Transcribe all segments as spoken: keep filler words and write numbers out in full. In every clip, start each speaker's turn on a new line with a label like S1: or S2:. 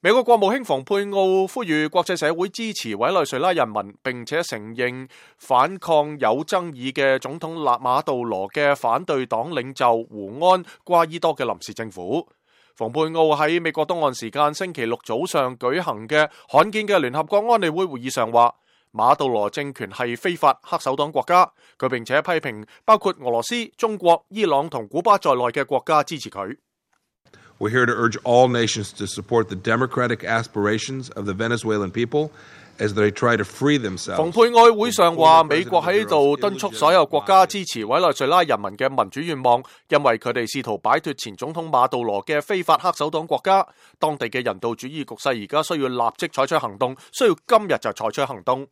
S1: 美國國務卿蓬佩奧呼籲國際社會支持委內瑞拉人民，並且承認反抗有爭議嘅總統納馬杜羅嘅反對黨領袖胡安瓜伊多嘅臨時政府。蓬佩奧喺美國東岸時間星期六早上舉行嘅罕見嘅聯合國安理會會議上話，馬杜羅政權係非法黑手黨國家，佢並且批評包括俄羅斯、中國、伊朗同古巴在內嘅國家支持佢。
S2: We're here to urge all nations to support the democratic aspirations of the Venezuelan people as they try to free themselves.
S1: 蓬佩奧會上話，美國喺度敦促所有國家支持委內瑞拉人民嘅民主願望，因為佢哋試圖擺脫前總統馬杜羅嘅非法黑手黨國家。當地嘅人道主義局勢而家需要立即採取行動，需要今日就採取行動。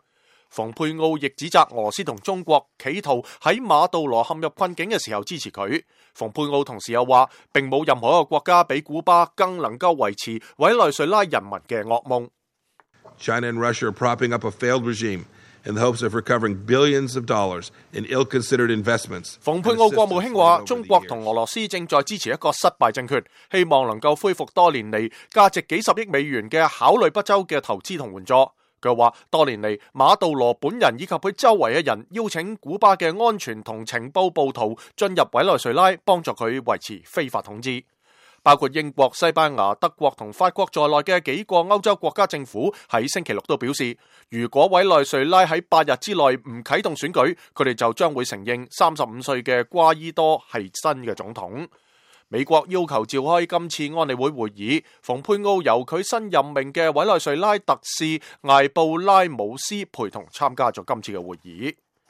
S1: 蓬佩奧亦指責俄羅斯同中國企圖喺馬杜羅陷入困境嘅時候支持佢。蓬佩奧同時又話，並冇任何一個國家比古巴更能夠維持委內瑞拉人民嘅噩夢。
S2: China and Russia are propping up a failed regime in the hopes of recovering billions of dollars in ill-considered investments.
S1: 蓬佩奧國務卿話，中國同俄羅斯正在支持一個失敗政權，希望能夠恢復多年嚟價值幾十億美元嘅考慮不周嘅投資同援助。佢話，多年嚟馬杜羅本人以及佢周圍嘅人邀請古巴嘅安全同情報暴徒進入委內瑞拉，幫助佢維持非法統治。包括英國、西班牙、德國同法國在內嘅幾個歐洲國家政府喺星期六都表示，如果委內瑞拉喺八日之內唔啟動選舉，佢哋就將會承認三十五歲嘅瓜伊多係新嘅總統。美國要求召開今次安理會會議，蓬佩奧由佢新任命嘅委內瑞拉特使艾布拉姆斯陪同參加咗今次嘅會議。